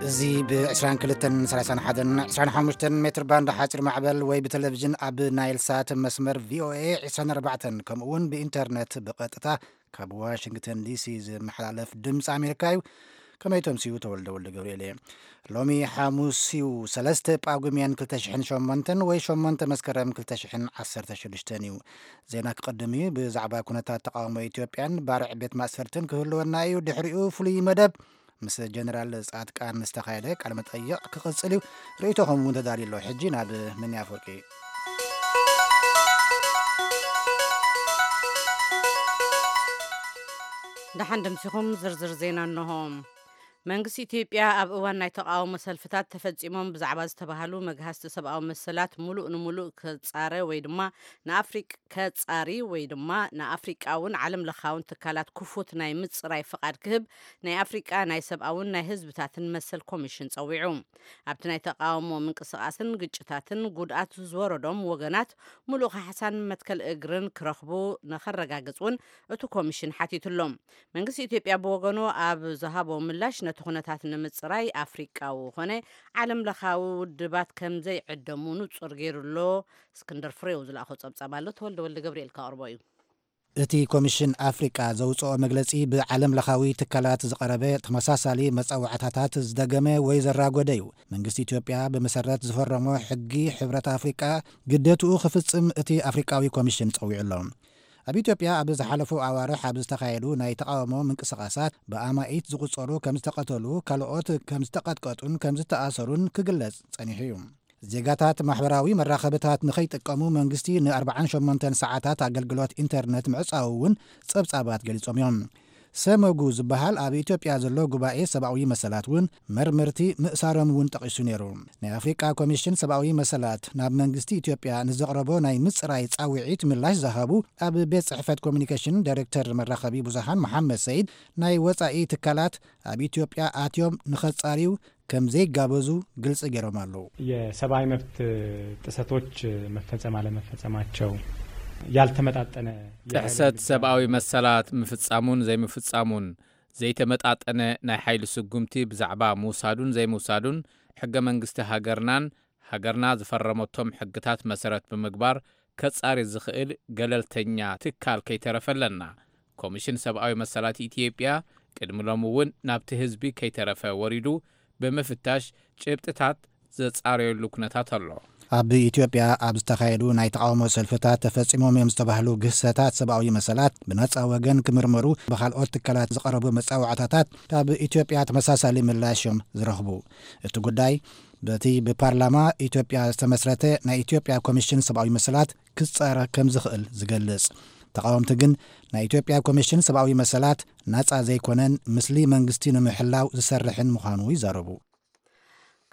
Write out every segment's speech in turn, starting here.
እዚ ብ22፣ 31፣ 25 ሜትር ባንድ ሓፂር ማዕበል ወይ ብቴሌቪዥን ኣብ ናይል ሳት መስመር ቪ ኦ ኤ ዕስራን ኣርባዕተን፣ ከምኡ እውን ብኢንተርኔት ብቐጥታ ካብ ዋሽንግተን ዲ ሲ ዝመሓላለፍ ድምፂ ኣሜሪካ እዩ። ከመይ ተምስዩ? ተወልደ ወልደ ገብርኤል እየ። ሎሚ ሓሙስ እዩ፣ ሰለስተ ጳጉሜን ክልተ ሽሕን ሸሞንተን ወይ ሸሞንተ መስከረም ክልተ ሽሕን ዓሰርተ ሽዱሽተን እዩ። ዜና ክቕድም እዩ። ብዛዕባ ኩነታት ተቃውሞ ኢትዮጵያን ባርዕ ቤት ማእሰርትን ክህልወና እዩ። ድሕሪኡ ፍሉይ መደብ ምስ ጀነራል ጻድቃን ዝተኻየደ ቃለ መጠይቕ ክቕጽል እዩ። ርእይቶኹም እውን ተዳልዩ ኣሎ። ሕጂ ናብ ምንያ ኣፈወርቂ። ደሓን ደምሲኹም፣ ዝርዝር ዜና እንሆ። መንግስቲ ኢትዮጵያ ኣብ እዋን ናይ ተቃውሞ ሰልፍታት ተፈጺሞም ብዛዕባ ዝተባህሉ መግሃስቲ ሰብኣዊ መሰላት ሙሉእ ንሙሉእ ከጻረ ወይ ድማ ንኣፍሪቅ-፣ ከጻሪ ወይ ድማ ንኣፍሪቃውን ዓለም ለኻውን ትካላት ክፉት ናይ ምጽራይ ፍቓድ ክህብ ናይ ኣፍሪቃ ናይ ሰብኣውን ናይ ህዝብታትን መሰል ኮሚሽን ጸዊዑ። ኣብቲ ናይ ተቃውሞ ምንቅስቃስን ግጭታትን ጉድኣት ዝወረዶም ወገናት ሙሉእ ካሕሳን መትከል እግርን ክረኽቡ ንኸረጋግጽ እውን እቲ ኮሚሽን ሓቲቱ ኣሎ። መንግስቲ ኢትዮጵያ ብወገኑ ኣብ ዝሃቦ ምላሽ፣ ነቲ ኩነታት ንምጽራይ ኣፍሪቃዊ ኮነ ዓለም ለኻዊ ውድባት ከም ዘይዕደሙ ንጹር ገይሩ ኣሎ። እስክንድር ፍሬው ዝለኣኾ ጸብጻብ ኣሎ፣ ተወልደ ወልደ ገብርኤል ከቕርቦ እዩ። እቲ ኮሚሽን ኣፍሪቃ ዘውጽኦ መግለጺ፣ ብዓለም ለኻዊ ትካላት ዝቐረበ ተመሳሳሊ መጻዋዕታታት ዝደገመ ወይ ዘራጎደ እዩ። መንግስቲ ኢትዮጵያ ብመሰረት ዝፈረሞ ሕጊ ሕብረት ኣፍሪቃ ግደትኡ ክፍጽም እቲ ኣፍሪቃዊ ኮሚሽን ጸዊዑ ኣሎ። ኣብ ኢትዮጵያ ኣብ ዝሓለፉ ኣዋርሕ ኣብ ዝተኻየዱ ናይ ተቓውሞ ምንቅስቓሳት ብኣማኢት ዝቑጸሩ ከም ዝተቐተሉ፣ ካልኦት ከም ዝተቐጥቀጡን ከም ዝተኣሰሩን ክግለጽ ጸኒሑ እዩ። ዜጋታት ማሕበራዊ መራኸብታት ንኸይጥቀሙ መንግስቲ ን ኣርባዓን ሸሞንተን ሰዓታት ኣገልግሎት ኢንተርነት ምዕጻዉ እውን ጸብጻባት ገሊጾም እዮም። ሰመጉ ዝበሃል ኣብ ኢትዮጵያ ዘሎ ጉባኤ ሰብኣዊ መሰላት እውን መርመርቲ ምእሳሮም እውን ጠቒሱ ነይሩ። ናይ ኣፍሪቃ ኮሚሽን ሰብኣዊ መሰላት ናብ መንግስቲ ኢትዮጵያ ንዘቕረቦ ናይ ምጽራይ ጻውዒት ምላሽ ዝሃቡ ኣብ ቤት ጽሕፈት ኮሚኒኬሽን ዳይሬክተር መራኸቢ ብዙሃን መሓመድ ሰይድ፣ ናይ ወጻኢ ትካላት ኣብ ኢትዮጵያ ኣትዮም ንኸጻርዩ ከም ዘይጋበዙ ግልጺ ገይሮም ኣለዉ። የሰብአዊ መብት ጥሰቶች መፈጸም አለመፈጸማቸው፣ ያልተመጣጠነ የኃይል ጥሕሰት እርምጃ ሰብኣዊ መሰላት ምፍጻሙን ዘይምፍጻሙን፣ ዘይተመጣጠነ ናይ ሓይሊ ስጉምቲ ብዛዕባ ምውሳዱን ዘይምውሳዱን፣ ሕገ መንግስቲ ሃገርናን ሃገርና ዝፈረመቶም ሕግታት መሰረት ብምግባር ከጻሪ ዝኽእል ገለልተኛ ትካል ከይተረፈ ኣለና። ኮሚሽን ሰብኣዊ መሰላት ኢትዮጵያ ቅድሚ ሎሚ እውን ናብቲ ህዝቢ ከይተረፈ ወሪዱ ብምፍታሽ ጭብጥታት ዘጻረየሉ ኩነታት ኣሎ። ኣብ ኢትዮጵያ ኣብ ዝተኻየዱ ናይ ተቓውሞ ሰልፍታት ተፈጺሞም እዮም ዝተባህሉ ግህሰታት ሰብኣዊ መሰላት ብነጻ ወገን ክምርመሩ ብኻልኦት ትካላት ዝቐረቡ መጻዋዕታታት ካብ ኢትዮጵያ ተመሳሳሊ ምላሽ እዮም ዝረኽቡ። እቲ ጉዳይ በቲ ብፓርላማ ኢትዮጵያ ዝተመስረተ ናይ ኢትዮጵያ ኮሚሽን ሰብኣዊ መሰላት ክጻረ ከም ዝኽእል ዝገልጽ። ተቓወምቲ ግን ናይ ኢትዮጵያ ኮሚሽን ሰብኣዊ መሰላት ናጻ ዘይኮነን፣ ምስሊ መንግስቲ ንምሕላው ዝሰርሕን ምዃኑ ይዛረቡ።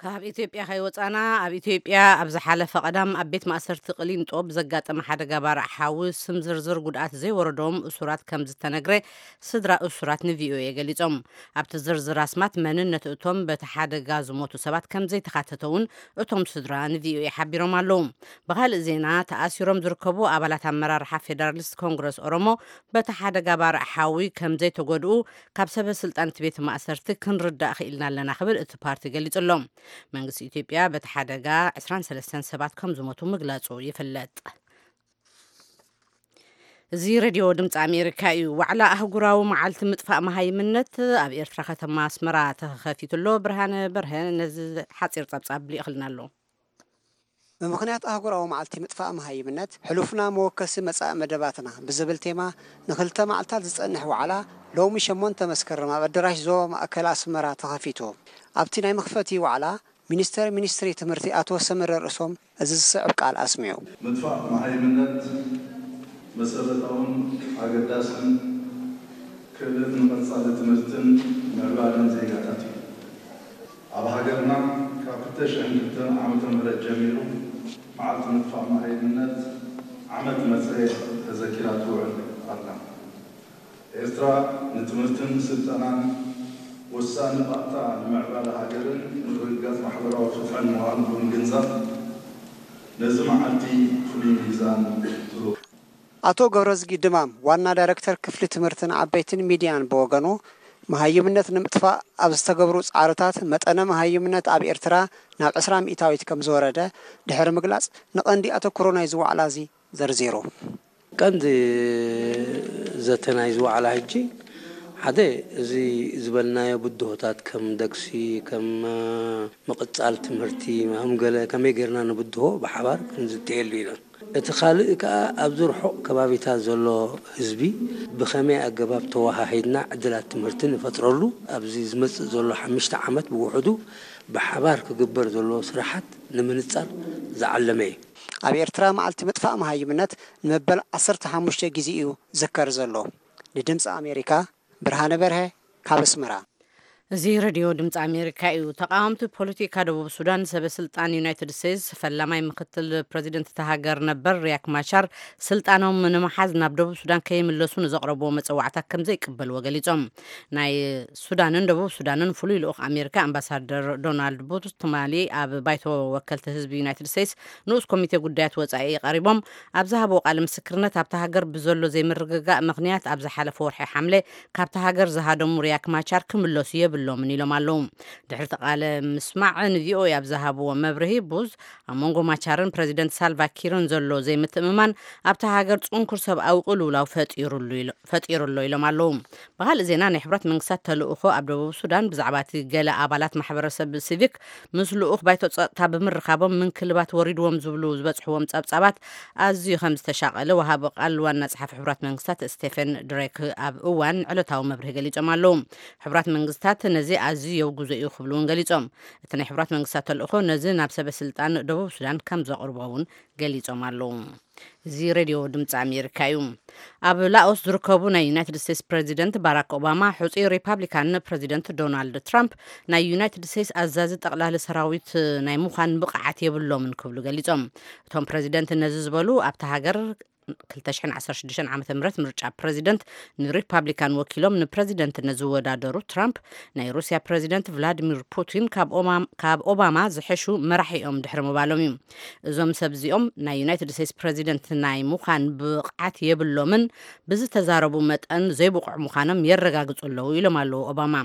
ካብ ኢትዮጵያ ከይወጻና፣ ኣብ ኢትዮጵያ ኣብ ዝሓለፈ ቀዳም ኣብ ቤት ማእሰርቲ ቅሊንጦ ብዘጋጠመ ሓደጋ ባርዕ ሓዊ ስም ዝርዝር ጉድኣት ዘይወረዶም እሱራት ከም ዝተነግረ ስድራ እሱራት ን ቪ ኦ ኤ ገሊጾም። ኣብቲ ዝርዝር ኣስማት መንነት እቶም በቲ ሓደጋ ዝሞቱ ሰባት ከም ዘይተኻተተ እውን እቶም ስድራ ን ቪ ኦ ኤ ሓቢሮም ኣለዉ። ብኻልእ ዜና፣ ተኣሲሮም ዝርከቡ ኣባላት ኣመራርሓ ፌደራሊስት ኮንግረስ ኦሮሞ፣ በቲ ሓደጋ ባርዕ ሓዊ ከም ዘይተጎድኡ ካብ ሰበ ስልጣን እቲ ቤት ማእሰርቲ ክንርዳእ ክኢልና ኣለና ክብል እቲ ፓርቲ ገሊጹ ኣሎ። መንግስቲ ኢትዮጵያ በቲ ሓደጋ ዕስራን ሰለስተን ሰባት ከም ዝሞቱ ምግላጹ ይፍለጥ። እዚ ሬድዮ ድምፂ ኣሜሪካ እዩ። ዋዕላ ኣህጉራዊ መዓልቲ ምጥፋእ መሃይምነት ኣብ ኤርትራ ከተማ ኣስመራ ተኸፊቱ ኣሎ። ብርሃነ በርሀ ነዚ ሓፂር ጸብጻብ ልኢኽልና ኣሎ። ብምኽንያት ኣህጉራዊ መዓልቲ ምጥፋእ መሃይምነት፣ ሕሉፍና መወከሲ መጻኢ መደባትና ብዝብል ቴማ ንኽልተ መዓልታት ዝጸንሕ ዋዕላ ሎሚ ሸሞንተ መስከረም ኣብ ኣደራሽ ዞባ ማእከል ኣስመራ ተኸፊቱ። ኣብቲ ናይ መኽፈቲ ዋዕላ ሚኒስተር ሚኒስትሪ ትምህርቲ ኣቶ ሰመረ ርእሶም እዚ ዝስዕብ ቃል ኣስሚዑ። ምጥፋእ መሃይምነት መሰረታውን ኣገዳስን ክእለት ንቐጻሊ ትምህርትን ምዕባለን ዜጋታት እዩ። ኣብ ሃገርና ካብ ክልተ ሽሕን ክልተን ዓመተ ምህረት ጀሚሩ መዓልቲ ምጥፋእ መሃይምነት ዓመት መጸ ተዘኪራ ትውዕል ኣላ። ኤርትራ ንትምህርትን ስልጠናን ወሳኒ ባእታ ንምዕባለ ሃገርን ምርግጋጽ ማሕበራዊ ፍትሕን ምዃኑ ብምግንዛብ ነዚ መዓልቲ ፍሉይ ሚዛን ትህቦ። ኣቶ ገብረዝጊ ድማም ዋና ዳይረክተር ክፍሊ ትምህርትን ዓበይትን ሚድያን ብወገኑ መሃይምነት ንምጥፋእ ኣብ ዝተገብሩ ጻዕርታት መጠነ መሃይምነት ኣብ ኤርትራ ናብ ዕስራ ሚእታዊት ከም ዝወረደ ድሕሪ ምግላጽ፣ ንቐንዲ ኣተኩሮ ናይዚ ዋዕላ እዚ ዘርዚሩ። ቀንዲ ዘተ ናይዚ ዋዕላ ሕጂ ሓደ እዚ ዝበልናዮ ብድሆታት ከም ደግሲ፣ ከም ምቕጻል ትምህርቲ፣ ከም ገለ ከመይ ጌርና ንብድሆ ብሓባር ክንዝትየሉ ኢና። እቲ ካልእ ከኣ ኣብዚ ርሑቕ ከባቢታት ዘሎ ህዝቢ ብኸመይ ኣገባብ ተወሃሂድና ዕድላት ትምህርቲ ንፈጥረሉ ኣብዚ ዝመጽእ ዘሎ ሓሙሽተ ዓመት ብውሕዱ ብሓባር ክግበር ዘለዎ ስራሓት ንምንጻር ዝዓለመ እዩ። ኣብ ኤርትራ መዓልቲ ምጥፋእ መሃይምነት ንመበል ዓሰርተ ሓሙሽተ ግዜ እዩ ዝዝከር ዘሎ። ንድምፂ ኣሜሪካ ብርሃነ በርሀ ካብ ኣስመራ። እዚ ሬድዮ ድምፂ ኣሜሪካ እዩ። ተቃወምቲ ፖለቲካ ደቡብ ሱዳን ሰበ ስልጣን ዩናይትድ ስቴትስ ፈላማይ ምክትል ፕሬዚደንት እታ ሃገር ነበር ሪያክ ማቻር ስልጣኖም ንምሓዝ ናብ ደቡብ ሱዳን ከይምለሱ ንዘቕረብዎ መፀዋዕታ ከም ዘይቅበልዎ ገሊፆም። ናይ ሱዳንን ደቡብ ሱዳንን ፍሉይ ልኡኽ ኣሜሪካ ኣምባሳደር ዶናልድ ቡት ትማሊ ኣብ ባይቶ ወከልቲ ህዝቢ ዩናይትድ ስቴትስ ንኡስ ኮሚቴ ጉዳያት ወፃኢ ቀሪቦም ኣብ ዝሃብዎ ቃለ ምስክርነት ኣብታ ሃገር ብዘሎ ዘይምርግጋእ ምክንያት ኣብ ዝሓለፈ ወርሒ ሓምለ ካብታ ሃገር ዝሃደሙ ሪያክ ማቻር ክምለሱ የብሎምን ኢሎም ኣለዉ። ድሕሪ እቲ ቃለ ምስማዕ ንቪኦኤ ኣብ ዝሃብዎ መብርሂ ቡዝ ኣብ መንጎ ማቻርን ፕሬዚደንት ሳልቫ ኪርን ዘሎ ዘይምትእምማን ኣብታ ሃገር ጽንኩር ሰብኣዊ ቅልውላው ፈጢሩሉ ኢሎ- ፈጢሩሎ ኢሎም ኣለዉ። ብኻልእ ዜና ናይ ሕብራት መንግስታት ተልእኾ ኣብ ደቡብ ሱዳን ብዛዕባ እቲ ገለ ኣባላት ማሕበረሰብ ሲቪክ ምስ ልኡኽ ባይቶ ጸጥታ ብምርኻቦም ምንክልባት ወሪድዎም ዝብሉ ዝበጽሕዎም ጸብጻባት ኣዝዩ ከም ዝተሻቐለ ወሃቢ ቃል ዋና ጸሓፊ ሕብራት መንግስታት ስቴፈን ድሬክ ኣብ እዋን ዕለታዊ መብርሂ ገሊጾም ኣለዉ። ሕብራት መንግስታት ነዚ ኣዝዩ የውግዞ እዩ ክብሉ እውን ገሊጾም። እቲ ናይ ሕብራት መንግስታት ተልእኾ ነዚ ናብ ሰበ ስልጣን ደቡብ ሱዳን ከም ዘቕርቦ እውን ገሊጾም ኣለዉ። እዚ ሬድዮ ድምፂ ኣሜሪካ እዩ። ኣብ ላኦስ ዝርከቡ ናይ ዩናይትድ ስቴትስ ፕሬዚደንት ባራክ ኦባማ ሕፁይ ሪፓብሊካን ፕሬዚደንት ዶናልድ ትራምፕ ናይ ዩናይትድ ስቴትስ ኣዛዚ ጠቕላሊ ሰራዊት ናይ ምዃን ብቕዓት የብሎምን ክብሉ ገሊጾም። እቶም ፕሬዚደንት ነዚ ዝበሉ ኣብታ ሃገር ክልተ ሽሕን ዓሰርተ ሽዱሽተን ዓመተ ምህረት ምርጫ ፕሬዚደንት ንሪፓብሊካን ወኪሎም ንፕሬዚደንትነት ዝወዳደሩ ትራምፕ ናይ ሩስያ ፕሬዚደንት ቭላዲሚር ፑቲን ካብ ኦማ- ካብ ኦባማ ዝሕሹ መራሒ እዮም ድሕሪ ምባሎም እዩ። እዞም ሰብ እዚኦም ናይ ዩናይትድ ስቴትስ ፕሬዚደንት ናይ ምዃን ብቕዓት የብሎምን ብዝተዛረቡ መጠን ዘይብቑዕ ምዃኖም የረጋግጹ ኣለዉ ኢሎም ኣለዉ ኦባማ።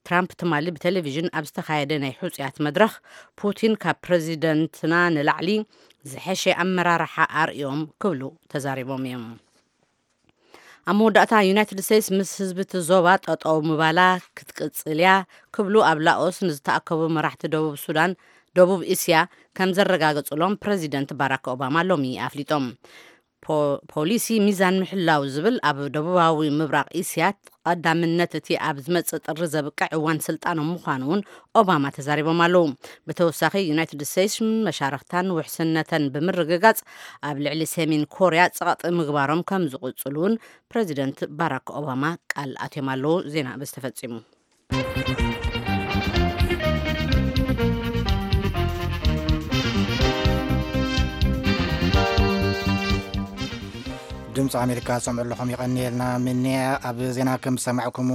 ትራምፕ ትማሊ ብቴሌቪዥን ኣብ ዝተኻየደ ናይ ሕጹያት መድረኽ ፑቲን ካብ ፕሬዚደንትና ንላዕሊ ዝሐሸ ኣመራርሓ ኣርእዮም ክብሉ ተዛሪቦም እዮም። ኣብ መወዳእታ ዩናይትድ ስቴትስ ምስ ህዝቢ እቲ ዞባ ጠጠው ምባላ ክትቅጽል እያ ክብሉ ኣብ ላኦስ ንዝተኣከቡ መራሕቲ ደቡብ ሱዳን ደቡብ እስያ ከም ዘረጋገጹሎም ፕሬዚደንት ባራክ ኦባማ ሎሚ ኣፍሊጦም። ፖ- ፖሊሲ ሚዛን ምሕላው ዝብል ኣብ ደቡባዊ ምብራቕ እስያ ቀዳምነት እቲ ኣብ ዝመጽእ ጥሪ ዘብቅዕ እዋን ስልጣኖም ምዃኑ እውን ኦባማ ተዛሪቦም ኣለዉ። ብተወሳኺ ዩናይትድ ስቴትስ መሻርኽታን ውሕስነተን ብምርግጋጽ ኣብ ልዕሊ ሰሜን ኮርያ ጸቕጢ ምግባሮም ከም ዝቕጽሉ እውን ፕሬዚደንት ባራክ ኦባማ ቃል ኣትዮም ኣለዉ። ዜና በዚ ተፈጺሙ። ድምፂ ኣሜሪካ ዝሰምዑ ኣለኹም፣ ይቐንየልና። ምንያ ኣብ ዜና ከም ዝሰማዕኩሞ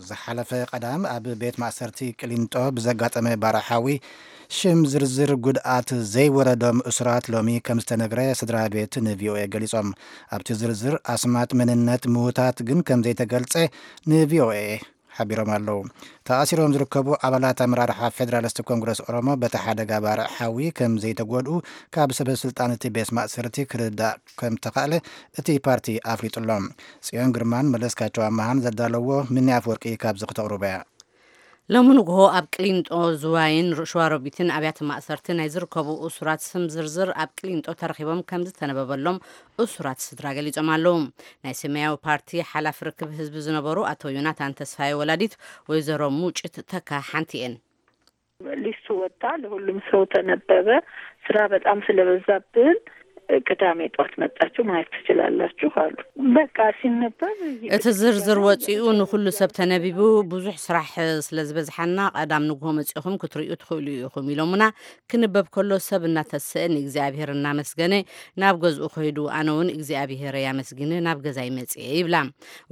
ዝሓለፈ ቀዳም ኣብ ቤት ማእሰርቲ ቅሊንጦ ብዘጋጠመ ባርዕ ሓዊ ሽም ዝርዝር ጉድኣት ዘይወረዶም እሱራት ሎሚ ከም ዝተነግረ ስድራ ቤት ንቪኦኤ ገሊጾም። ኣብቲ ዝርዝር ኣስማት መንነት ምዉታት ግን ከም ዘይተገልጸ ንቪኦኤ ሓቢሮም ኣለዉ። ተኣሲሮም ዝርከቡ ኣባላት ኣመራርሓ ፌደራሊስት ኮንግረስ ኦሮሞ በቲ ሓደጋ ባርዕ ሓዊ ከም ዘይተጎድኡ ካብ ሰበ ስልጣን እቲ ቤት ማእሰርቲ ክርዳእ ከም ተኻእለ እቲ ፓርቲ ኣፍሊጡ ኣሎ። ጽዮን ግርማን መለስካቸው ኣመሃን ዘዳለዎ ምኒ ኣፍወርቂ ካብዚ ክተቕርቦ እያ። ሎሚ ንግሆ ኣብ ቅሊንጦ ዝዋይን ሸዋሮቢትን ኣብያተ ማእሰርቲ ናይ ዝርከቡ እሱራት ስም ዝርዝር ኣብ ቅሊንጦ ተረኺቦም ከም ዝተነበበሎም እሱራት ስድራ ገሊጾም ኣለዉ። ናይ ሰማያዊ ፓርቲ ሓላፊ ርክብ ህዝቢ ዝነበሩ ኣቶ ዮናታን ተስፋዬ ወላዲት ወይዘሮ ሙጭት ተካ ሓንቲ እየን። ሊስቱ ወጣ፣ ለሁሉም ሰው ተነበበ። ስራ በጣም ስለበዛብን ቅዳሜ ጧት መጣችሁ ማየት ትችላላችሁ አሉ። በቃ ሲነበብ እቲ ዝርዝር ወፂኡ ንኩሉ ሰብ ተነቢቡ። ብዙሕ ስራሕ ስለ ዝበዝሓና ቀዳም ንግሆ መፂኹም ክትርእዩ ትኽእሉ ኢኹም ኢሎምና። ክንበብ ከሎ ሰብ እናተሰአ ንእግዚኣብሔር እናመስገነ ናብ ገዝኡ ከይዱ፣ ኣነ እውን እግዚኣብሔር ኣመስጊነ ናብ ገዛይ መፅየ ይብላ።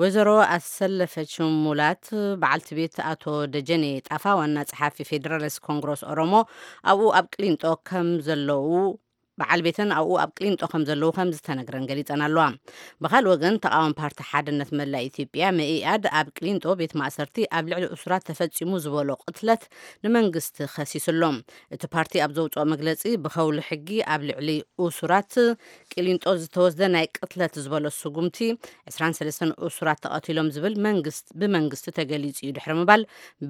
ወይዘሮ ኣሰለፈች ሙላት በዓልቲ ቤት ኣቶ ደጀኔ ጣፋ ዋና ጸሓፊ ፌዴራሊስት ኮንግረስ ኦሮሞ ኣብኡ ኣብ ቅሊንጦ ከም ዘለዉ በዓል ቤተን ኣብኡ ኣብ ቅሊንጦ ከም ዘለዉ ከም ዝተነግረን ገሊጸን ኣለዋ። ብኻልእ ወገን፣ ተቓዋሚ ፓርቲ ሓድነት መላእ ኢትዮጵያ፣ መኢኣድ፣ ኣብ ቅሊንጦ ቤት ማእሰርቲ ኣብ ልዕሊ እሱራት ተፈጺሙ ዝበሎ ቅትለት ንመንግስቲ ከሲሱ ኣሎ። እቲ ፓርቲ ኣብ ዘውጽኦ መግለጺ፣ ብኸውሊ ሕጊ ኣብ ልዕሊ እሱራት ቅሊንጦ ዝተወስደ ናይ ቅትለት ዝበሎ ስጉምቲ፣ ዕስራን ሰለስተን እሱራት ተቐቲሎም ዝብል መንግስት-፣ ብመንግስቲ ተገሊጹ እዩ ድሕሪ ምባል፣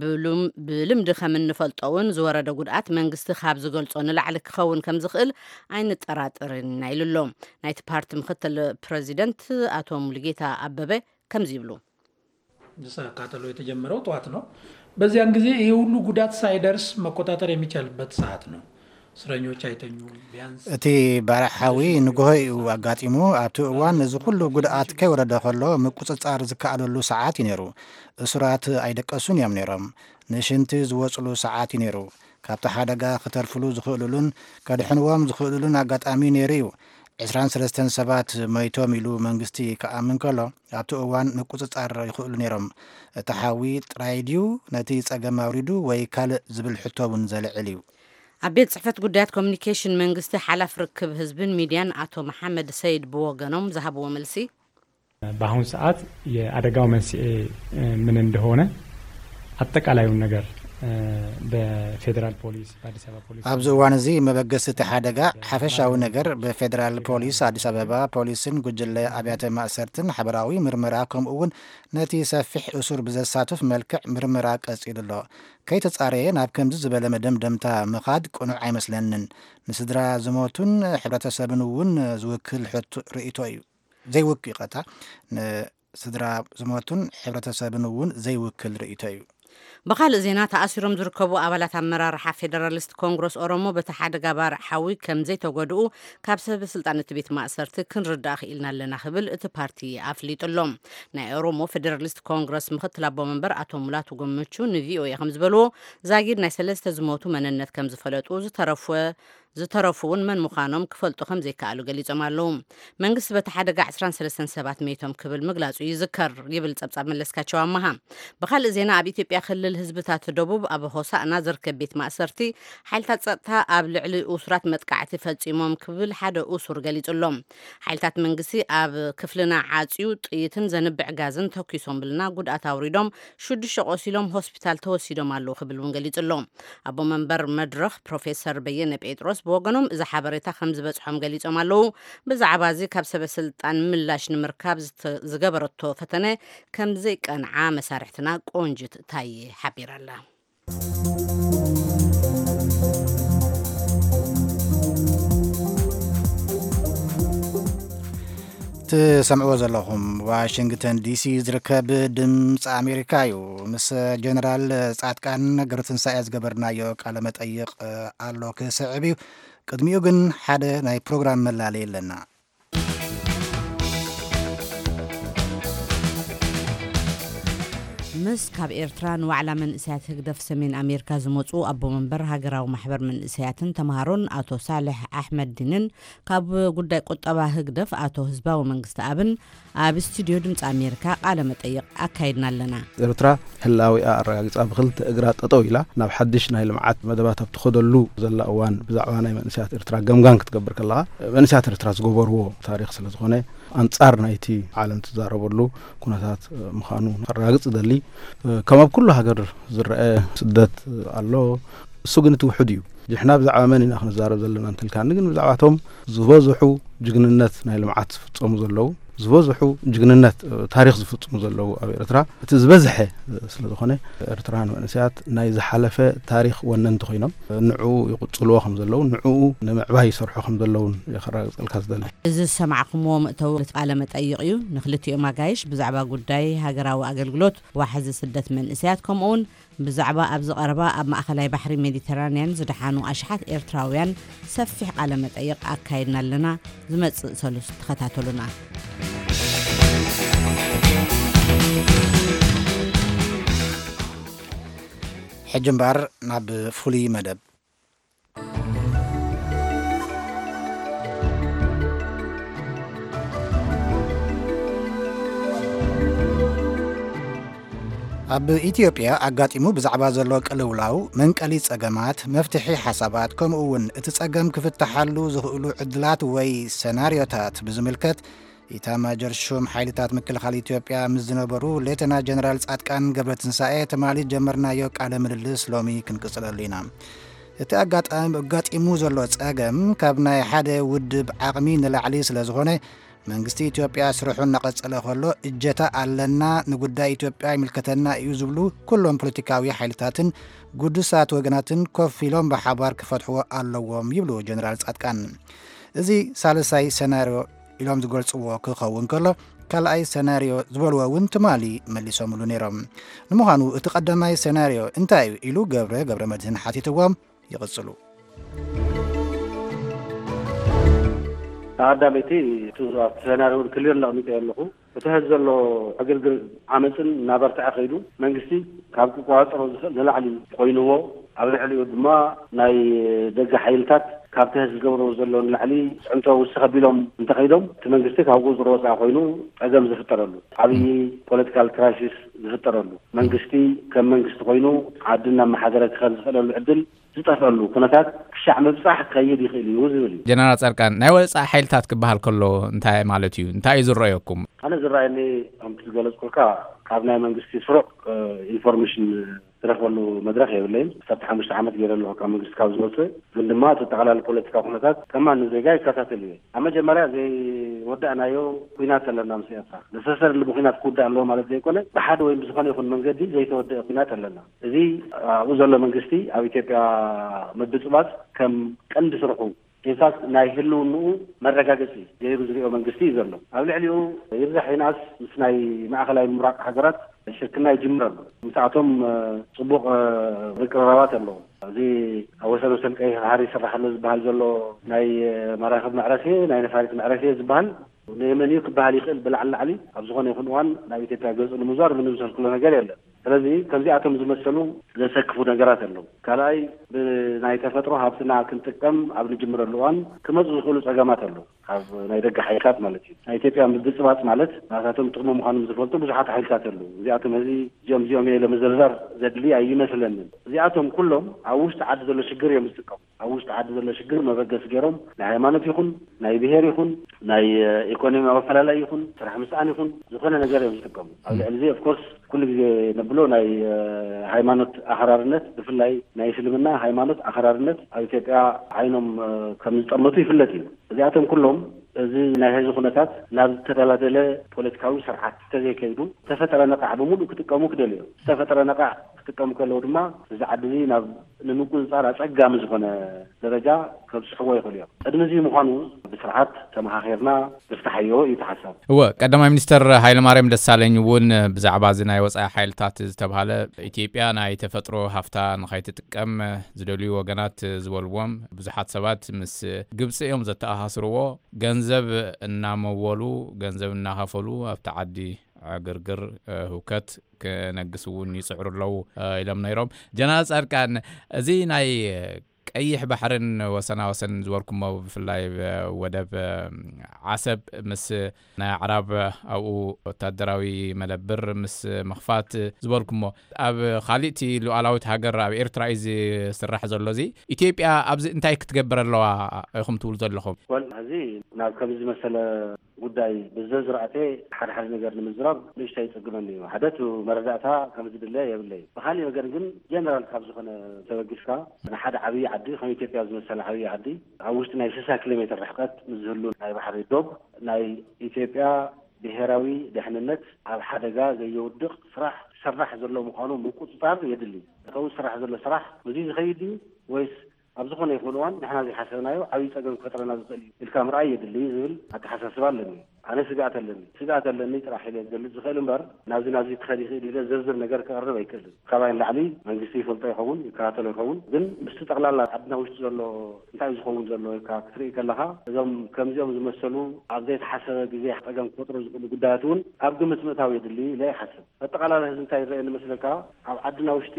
ብሉም-፣ ብልምዲ ከም እንፈልጦ እውን ዝወረደ ጉድኣት መንግስቲ ካብ ዝገልጾ ንላዕሊ ክኸውን ከም ዝኽእል ኣይንጠራጠርን ኢና ኢሉ ኣሎ። ናይቲ ፓርቲ ምክትል ፕረዚደንት ኣቶ ሙሉጌታ ኣበበ ከምዚ ይብሉ። ቃጠሎ የተጀመረው ጠዋት ነው። በዚያን ጊዜ ይሄ ሁሉ ጉዳት ሳይደርስ መቆጣጠር የሚቻልበት ሰዓት ነው። እስረኞች አይተኙም። ቢያንስ እቲ ባርዕ ሓዊ ንግሆ እዩ ኣጋጢሙ። ኣብቲ እዋን እዚ ኩሉ ጉድኣት ከይወረደ ከሎ ምቁጽጻር ዝከኣለሉ ሰዓት እዩ ነይሩ። እሱራት ኣይደቀሱን እዮም ነይሮም። ንሽንቲ ዝወጽሉ ሰዓት እዩ ነይሩ። ካብቲ ሓደጋ ክተርፍሉ ዝኽእሉሉን ከድሕንዎም ዝኽእሉሉን ኣጋጣሚ ነይሩ እዩ። ዕስራን ሰለስተን ሰባት መይቶም ኢሉ መንግስቲ ክኣምን ከሎ፣ ኣብቲ እዋን ምቁጽጻር ይኽእሉ ነይሮም። እቲ ሓዊ ጥራይ ድዩ ነቲ ጸገም ኣውሪዱ ወይ ካልእ ዝብል ሕቶ እውን ዘልዕል እዩ። ኣብ ቤት ጽሕፈት ጉዳያት ኮሚኒኬሽን መንግስቲ ሓላፍ ርክብ ህዝብን ሚድያን ኣቶ መሓመድ ሰይድ ብወገኖም ዝሃብዎ መልሲ፣ በአሁን ሰዓት የአደጋው መንስኤ ምን እንደሆነ አጠቃላዩን ነገር በፌዴራል ፖሊስ፣ በአዲስ አበባ ፖሊስ ኣብዚ እዋን እዚ መበገሲ እቲ ሓደጋ ሓፈሻዊ ነገር ብፌዴራል ፖሊስ፣ ኣዲስ ኣበባ ፖሊስን ጉጅለ ኣብያተ ማእሰርትን ሓበራዊ ምርመራ፣ ከምኡ እውን ነቲ ሰፊሕ እሱር ብዘሳትፍ መልክዕ ምርመራ ቀጺሉ ኣሎ። ከይተጻረየ ናብ ከምዚ ዝበለ መደምደምታ ምኻድ ቅኑዕ ኣይመስለንን። ንስድራ ዝሞቱን ሕብረተሰብን እውን ዝውክል ሕቶ ርእይቶ እዩ። ዘይውክ ይቐታ ንስድራ ዝሞቱን ሕብረተሰብን እውን ዘይውክል ርእይቶ እዩ። ብኻልእ ዜና፣ ተኣሲሮም ዝርከቡ ኣባላት ኣመራርሓ ፌደራሊስት ኮንግረስ ኦሮሞ በቲ ሓደጋ ባርዕ ሓዊ ከም ዘይተጎድኡ ካብ ሰበ ስልጣን እቲ ቤት ማእሰርቲ ክንርዳእ ክኢልና ኣለና ክብል እቲ ፓርቲ ኣፍሊጡ ኣሎ። ናይ ኦሮሞ ፌደራሊስት ኮንግረስ ምክትል ኣቦ መንበር ኣቶ ሙላቱ ገመቹ ንቪኦኤ ከም ዝበልዎ፣ ዛጊድ ናይ ሰለስተ ዝሞቱ መንነት ከም ዝፈለጡ፣ ዝተረፈ ዝተረፉ እውን መን ምዃኖም ክፈልጡ ከም ዘይከኣሉ ገሊጾም ኣለዉ። መንግስቲ በቲ ሓደጋ ዕስራን ሰለስተን ሰባት መይቶም ክብል ምግላጹ ይዝከር ይብል ጸብጻብ መለስካቸው ኣመሃ። ብኻልእ ዜና፣ ኣብ ኢትዮጵያ ክልል ህዝብታት ደቡብ ኣብ ሆሳእና ዝርከብ ቤት ማእሰርቲ ሓይልታት ጸጥታ ኣብ ልዕሊ እሱራት መጥቃዕቲ ፈጺሞም ክብል ሓደ እሱር ገሊጹ ኣሎ። ሓይልታት መንግስቲ ኣብ ክፍልና ዓጽዩ ጥይትን ዘንብዕ ጋዝን ተኩሶምልና ጉድኣት ኣውሪዶም ሽዱሽተ ቆሲሎም ሆስፒታል ተወሲዶም ኣለዉ ክብል እውን ገሊጹ ኣሎ። ኣቦ መንበር መድረኽ ፕሮፌሰር በየነ ጴጥሮስ ብወገኖም እዚ ሓበሬታ ከም ዝበጽሖም ገሊጾም ኣለዉ። ብዛዕባ እዚ ካብ ሰበ ስልጣን ምላሽ ንምርካብ ዝተ-፣ ዝገበረቶ ፈተነ ከም ዘይቀንዓ መሳርሕትና ቆንጅት ታየ ሓቢራ ኣላ። ትሰምዕዎ ዘለኹም ዋሽንግተን ዲሲ ዝርከብ ድምፂ ኣሜሪካ እዩ። ምስ ጀነራል ጻድቃን ገብረትንሳኤ ዝገበርናዮ ቃለ መጠይቕ ኣሎ ክስዕብ እዩ። ቅድሚኡ ግን ሓደ ናይ ፕሮግራም መላለይ ኣለና። ምስ ካብ ኤርትራ ንዋዕላ መንእሰያት ህግደፍ ሰሜን ኣሜሪካ ዝመጹ ኣቦ መንበር ሃገራዊ ማሕበር መንእሰያትን ተምሃሮን ኣቶ ሳልሕ ኣሕመድ ዲንን ካብ ጉዳይ ቁጠባ ህግደፍ ኣቶ ህዝባዊ መንግስቲ ኣብን ኣብ ስቱዲዮ ድምፂ ኣሜሪካ ቃለ መጠይቕ ኣካይድና ኣለና። ኤርትራ ህላዊኣ ኣረጋጊጻ ብክልተ እግራ ጠጠው ኢላ ናብ ሓድሽ ናይ ልምዓት መደባት ኣብ ትኸደሉ ዘላ እዋን ብዛዕባ ናይ መንእሰያት ኤርትራ ገምጋም ክትገብር ከለኻ መንእሰያት ኤርትራ ዝገበርዎ ታሪኽ ስለ ዝኾነ ኣንጻር ናይቲ ዓለም ትዛረበሉ ኩነታት ምዃኑ ከረጋግጽ እደሊ። ከም ኣብ ኩሉ ሃገር ዝረአ ስደት ኣሎ። እሱ ግን እቲ ውሑድ እዩ። ንሕና ብዛዕባ መን ኢና ክንዛረብ ዘለና እንተልካኒ ግን ብዛዕባቶም ዝበዝሑ ጅግንነት ናይ ልምዓት ዝፍጸሙ ዘለዉ ዝበዝሑ ጅግንነት ታሪኽ ዝፍጽሙ ዘለዉ ኣብ ኤርትራ እቲ ዝበዝሐ ስለ ዝኾነ ኤርትራውያን መንእሰያት ናይ ዝሓለፈ ታሪኽ ወነንቲ ኮይኖም ንዕኡ ይቕጽልዎ ከም ዘለዉ ንዕኡ ንምዕባይ ይሰርሑ ከም ዘለዉን የኸረጋግጸልካ ዝደሊ። እዚ ዝሰማዕኩምዎ መእተዊ ቃለ መጠይቕ እዩ። ንክልቲኦም ኣጋይሽ ብዛዕባ ጉዳይ ሃገራዊ ኣገልግሎት፣ ዋሕዚ ስደት መንእሰያት ከምኡውን ብዛዕባ ኣብዚ ቀረባ ኣብ ማእኸላይ ባሕሪ ሜዲተራንያን ዝደሓኑ ኣሽሓት ኤርትራውያን ሰፊሕ ቃለ መጠይቕ ኣካይድና ኣለና። ዝመጽእ ሰሉስ ተኸታተሉና። ሕጂ እምበኣር ናብ ፍሉይ መደብ። ኣብ ኢትዮጵያ ኣጋጢሙ ብዛዕባ ዘሎ ቅልውላው፣ መንቀሊ ጸገማት፣ መፍትሒ ሓሳባት፣ ከምኡ እውን እቲ ጸገም ክፍትሓሉ ዝኽእሉ ዕድላት ወይ ሰናርዮታት ብዝምልከት፣ ኢታማጆር ሹም ሓይልታት ምክልኻል ኢትዮጵያ ምስ ዝነበሩ ሌተና ጀነራል ጻድቃን ገብረትንሳኤ ትማሊ ጀመርናዮ ቃለ ምልልስ ሎሚ ክንቅጽለሉ ኢና። እቲ ኣጋጣሚ ኣጋጢሙ ዘሎ ጸገም ካብ ናይ ሓደ ውድብ ዓቕሚ ንላዕሊ ስለ ዝኾነ፣ መንግስቲ ኢትዮጵያ ስርሑ እናቐጸለ ከሎ፣ እጀታ ኣለና፣ ንጉዳይ ኢትዮጵያ ይምልከተና እዩ ዝብሉ ኩሎም ፖለቲካዊ ሓይልታትን ግዱሳት ወገናትን ኮፍ ኢሎም ብሓባር ክፈትሕዎ ኣለዎም ይብሉ ጀነራል ጻድቃን። እዚ ሳልሳይ ሰናርዮ ኢሎም ዝገልጽዎ ክኸውን ከሎ፣ ካልኣይ ሰናርዮ ዝበልዎ እውን ትማሊ መሊሶምሉ ነይሮም። ንምዃኑ እቲ ቀዳማይ ሰናርዮ እንታይ እዩ ኢሉ ገብረ ገብረ መድህን ሓቲትዎም። ይቕጽሉ። ኣዳመይቲ እቲ ኣብቲ ሰናርዮ እውን ክሊር ኣቐሚጠ ኣለኹ። እቲ ሕዚ ዘሎ ዕግርግር ዓመፅን እናበርትዐ ከይዱ መንግስቲ ካብ ክቆፃፀሮ ዝኽእል ንላዕሊ ኮይንዎ፣ ኣብ ልዕሊኡ ድማ ናይ ደገ ሓይልታት ካብቲ ሕዚ ዝገብርዎ ዘሎ ንላዕሊ ፅዕንቶ ውስኽ ኣቢሎም እንተኸይዶም እቲ መንግስቲ ካብ ቁፅሪ ወፃኢ ኮይኑ ፀገም ዝፍጠረሉ ዓብዪ ፖለቲካል ክራይሲስ ዝፍጠረሉ መንግስቲ ከም መንግስቲ ኮይኑ ዓዲ እናመሓደረ ክኸድ ዝኽእለሉ ዕድል ዝጠፍአሉ ኩነታት ክሻዕ ምብፃሕ ክኸይድ ይኽእል እዩ ዝብል እዩ። ጀነራል ፃድቃን፣ ናይ ወፃኢ ሓይልታት ክበሃል ከሎ እንታይ ማለት እዩ? እንታይ እዩ ዝረኣየኩም? ኣነ ዝረኣየኒ ከምቲ ዝገለፅኩልካ ካብ ናይ መንግስቲ ስሩዕ ኢንፎርሜሽን ዝረኽበሉ መድረኽ የብለይን። ክሳብ ሓሙሽተ ዓመት ገይረ ኣለኹ ካብ መንግስቲ ካብ ዝወፅእ፣ ግን ድማ እቲ ጠቕላሊ ፖለቲካ ኩነታት ከማን ንዜጋ ይከታተል እየ። ኣብ መጀመርያ ዘይወዳእናዮ ኩናት ኣለና ምስ ኤርትራ። ነሰሰርሊ ብኩናት ክውዳእ ኣለዎ ማለት ዘይኮነ፣ ብሓደ ወይም ብዝኾነ ይኹን መንገዲ ዘይተወደአ ኩናት ኣለና። እዚ ኣብኡ ዘሎ መንግስቲ ኣብ ኢትዮጵያ ምብፅባፅ ከም ቀንዲ ስርሑ ኢንፋክት ናይ ህልውንኡ መረጋገፂ ገይሩ ዝሪኦ መንግስቲ እዩ ዘሎ። ኣብ ልዕሊኡ ይብዛሕ ይንኣስ ምስ ናይ ማእኸላይ ምብራቕ ሃገራት ሽርክና ይጅምር ኣሎ። ምስኣቶም ፅቡቕ ምቅርራባት ኣለዎ። እዚ ኣብ ወሰን ወሰን ቀይሕ ባሕሪ ይስራሕ ኣሎ ዝበሃል ዘሎ ናይ መራኽብ መዕረፊ፣ ናይ ነፋሪት መዕረፊ ዝበሃል ንየመን እዩ ክበሃል ይኽእል። ብላዕሊ ላዕሊ ኣብ ዝኾነ ይኹን እዋን ናብ ኢትዮጵያ ገፁ ንምዛር ምንም ዘልክሎ ነገር የለን። ስለዚ ከምዚኣቶም ዝመሰሉ ዘሰክፉ ነገራት ኣለዉ። ካልኣይ ብናይ ተፈጥሮ ሃብትና ክንጥቀም ኣብ ንጅምረሉ እዋን ክመፁ ዝኽእሉ ፀገማት ኣለዉ። ካብ ናይ ደገ ሓይልታት ማለት እዩ። ናይ ኢትዮጵያ ምብፅባፅ ማለት ናታቶም ጥቕሚ ምዃኑ ዝፈልጡ ብዙሓት ሓይልታት ኣለዉ። እዚኣቶም እዚ እዚኦም እዚኦም እየ ለመዘርዛር ዘድሊ ኣይመስለንን። እዚኣቶም ኩሎም ኣብ ውሽጢ ዓዲ ዘሎ ሽግር እዮም ዝጥቀሙ። ኣብ ውሽጢ ዓዲ ዘሎ ሽግር መበገሲ ገይሮም ናይ ሃይማኖት ይኹን ናይ ብሄር ይኹን ናይ ኢኮኖሚያዊ ኣፈላላይ ይኹን ስራሕ ምስኣን ይኹን ዝኾነ ነገር እዮም ዝጥቀሙ። ኣብ ልዕሊ እዚ ኦፍኮርስ ኩሉ ግዜ ነብሎ ናይ ሃይማኖት ኣኽራርነት ብፍላይ ናይ እስልምና ሃይማኖት ኣኽራርነት ኣብ ኢትዮጵያ ዓይኖም ከም ዝጠመቱ ይፍለጥ እዩ። እዚኣቶም ኩሎም እዚ ናይ ሕዚ ኩነታት ናብ ዝተደላደለ ፖለቲካዊ ስርዓት እንተዘይከይዱ ዝተፈጠረ ነቓዕ ብምሉእ ክጥቀሙ ክደልዩ እዮም። ዝተፈጠረ ነቓዕ ክጥቀሙ ከለዉ ድማ እዚ ዓዲ እዚ ናብ ንምቁፅፃር ኣፀጋሚ ዝኾነ ደረጃ ከብፅሕዎ ይኽእሉ እዮም። ቅድሚ እዚ ምዃኑ ብስርዓት ተመኻኺርና ንፍታሓዮ እዩ እቲ ሓሳብ። እወ፣ ቀዳማይ ሚኒስተር ሃይለማርያም ደሳለኝ እውን ብዛዕባ እዚ ናይ ወፃኢ ሓይልታት ዝተብሃለ ኢትዮጵያ ናይ ተፈጥሮ ሃፍታ ንኸይትጥቀም ዝደልዩ ወገናት ዝበልዎም ብዙሓት ሰባት ምስ ግብፂ እዮም ዘተኣሳስርዎ። ገንዘብ እናመወሉ፣ ገንዘብ እናኸፈሉ ኣብቲ ዓዲ ዕግርግር፣ ህውከት ክነግስ እውን ይፅዕሩ ኣለዉ ኢሎም ነይሮም። ጀነራል ፃድቃን፣ እዚ ናይ ቀይሕ ባሕርን ወሰናወሰን ዝበልኩሞ፣ ብፍላይ ወደብ ዓሰብ ምስ ናይ ኣዕራብ ኣብኡ ወታደራዊ መደብር ምስ ምኽፋት ዝበልኩሞ፣ ኣብ ካሊእቲ ሉዓላዊት ሃገር ኣብ ኤርትራ እዩ ዝስራሕ ዘሎ። እዚ ኢትዮጵያ ኣብዚ እንታይ ክትገብር ኣለዋ ኢኹም ትብሉ ዘለኹም? ወል፣ እዚ ናብ ከምዚ ዝመሰለ ጉዳይ ብዘዝራእተ ሓደ ሓደ ነገር ንምዝራብ ንእሽቶ ይጽግመኒ እዩ። ሓደ፣ እቲ መረዳእታ ከም ዝድለ የብለይ። ብኻሊእ ወገን ግን ጀነራል ካብ ዝኾነ ተበጊስካ፣ ንሓደ ዓብዪ ዓዲ ከም ኢትዮጵያ ዝመሰለ ዓብዪ ዓዲ ኣብ ውሽጢ ናይ ስሳ ኪሎ ሜትር ርሕቀት ምስ ዝህሉ ናይ ባሕሪ ዶብ ናይ ኢትዮጵያ ብሄራዊ ድሕንነት ኣብ ሓደጋ ዘየውድቕ ስራሕ ዝሰራሕ ዘሎ ምዃኑ ምቁጽጻር የድሊ። እተው ዝሰራሕ ዘሎ ስራሕ ብዙይ ዝኸይድ እዩ ወይስ ኣብ ዝኾነ ይኹን እዋን ንሕና ዘይሓሰብናዮ ዓብዪ ጸገም ክፈጥረና ዝኽእል እዩ ኢልካ ምርኣይ የድሊ ዝብል ኣተሓሳስባ ኣለኒ። ኣነ ስግኣት ኣለኒ። ስግኣት ኣለኒ ጥራሕ ኢለ ክገልጽ ዝኽእል እምበር ናብዚ ናብዚ ክኸድ ይኽእል ኢለ ዝርዝር ነገር ክቐርብ ኣይክእልን። ካባይ ንላዕሊ መንግስቲ ይፈልጦ ይኸውን፣ ይከታተሎ ይኸውን። ግን ምስቲ ጠቕላላ ዓድና ውሽጢ ዘሎ እንታይ እዩ ዝኸውን ዘሎ ኢልካ ክትርኢ ከለኻ እዞም ከምዚኦም ዝመሰሉ ኣብ ዘይተሓሰበ ግዜ ጸገም ክፈጥሩ ዝኽእሉ ጉዳያት እውን ኣብ ግምት ምእታው የድሊ ኢለ ይሓስብ። ኣጠቓላሊ ህዝቢ እንታይ ይረአ ንመስለካ? ኣብ ዓድና ውሽጢ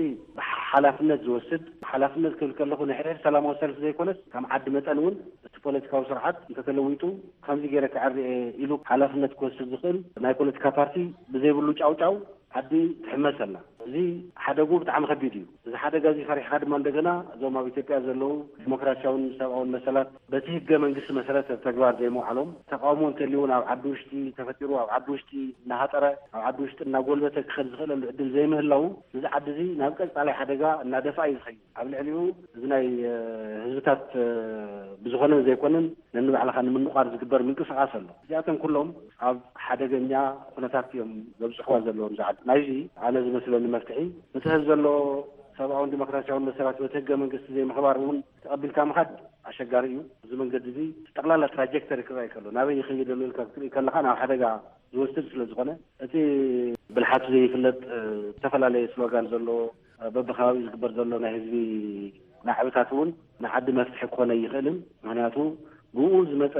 ሓላፍነት ዝወስድ፣ ሓላፍነት ክብል ከለኹ ንሕድሕድ ሰላማዊ ሰልፊ ዘይኮነስ ከም ዓዲ መጠን እውን እቲ ፖለቲካዊ ስርዓት እንተተለዊጡ ከምዚ ገይረ ክዕሪ እየ ኢሉ ሓላፍነት ክወስድ ዝኽእል ናይ ፖለቲካ ፓርቲ ብዘይብሉ ጫውጫው ዓዲ ትሕመስ ኣላ። እዚ ሓደጉ ብጣዕሚ ከቢድ እዩ። እዚ ሓደጋ እዚ ፈሪሕካ ድማ እንደገና እዞም ኣብ ኢትዮጵያ ዘለዉ ዲሞክራሲያውን ሰብኣውን መሰላት በቲ ህገ መንግስቲ መሰረት ኣብ ተግባር ዘይምውዓሎም፣ ተቃውሞ እንተልዩ እውን ኣብ ዓዲ ውሽጢ ተፈጢሩ ኣብ ዓዲ ውሽጢ እናሃጠረ ኣብ ዓዲ ውሽጢ እናጎልበተ ክኸድ ዝኽእለሉ ዕድል ዘይምህላው፣ እዚ ዓዲ እዚ ናብ ቀጻላይ ሓደጋ እናደፍኣ እዩ ዝኸይድ። ኣብ ልዕሊኡ እዚ ናይ ህዝብታት ብዝኾነን ዘይኮነን ነንባዕልኻ ንምንቋር ዝግበር ምንቅስቃስ ኣሎ። እዚኣቶም ኩሎም ኣብ ሓደገኛ ኩነታት እዮም ዘብፅሕዋ ዘለዎም። ዝዓድ ናይዚ ኣነ ዝመስለኒ መፍትሒ፣ እቲ ህዝብ ዘሎ ሰብኣውን ዲሞክራሲያውን መሰላት በቲ ህገ መንግስቲ ዘይምኽባር እውን ተቐቢልካ ምኻድ ኣሸጋሪ እዩ። እዚ መንገዲ እዚ ጠቕላላ ትራጀክተሪ ክረኣ ይከሎ ናበይ ይኸይድ ኣሎ ኢልካ ክትርኢ ከለኻ ናብ ሓደጋ ዝወስድ ስለ ዝኾነ፣ እቲ ብልሓቱ ዘይፍለጥ ዝተፈላለየ ስሎጋን ዘሎ በብከባቢኡ ዝግበር ዘሎ ናይ ህዝቢ ናዕብታት እውን ንዓዲ መፍትሒ ክኾነ ይኽእልን። ምክንያቱ ብኡ ዝመፀ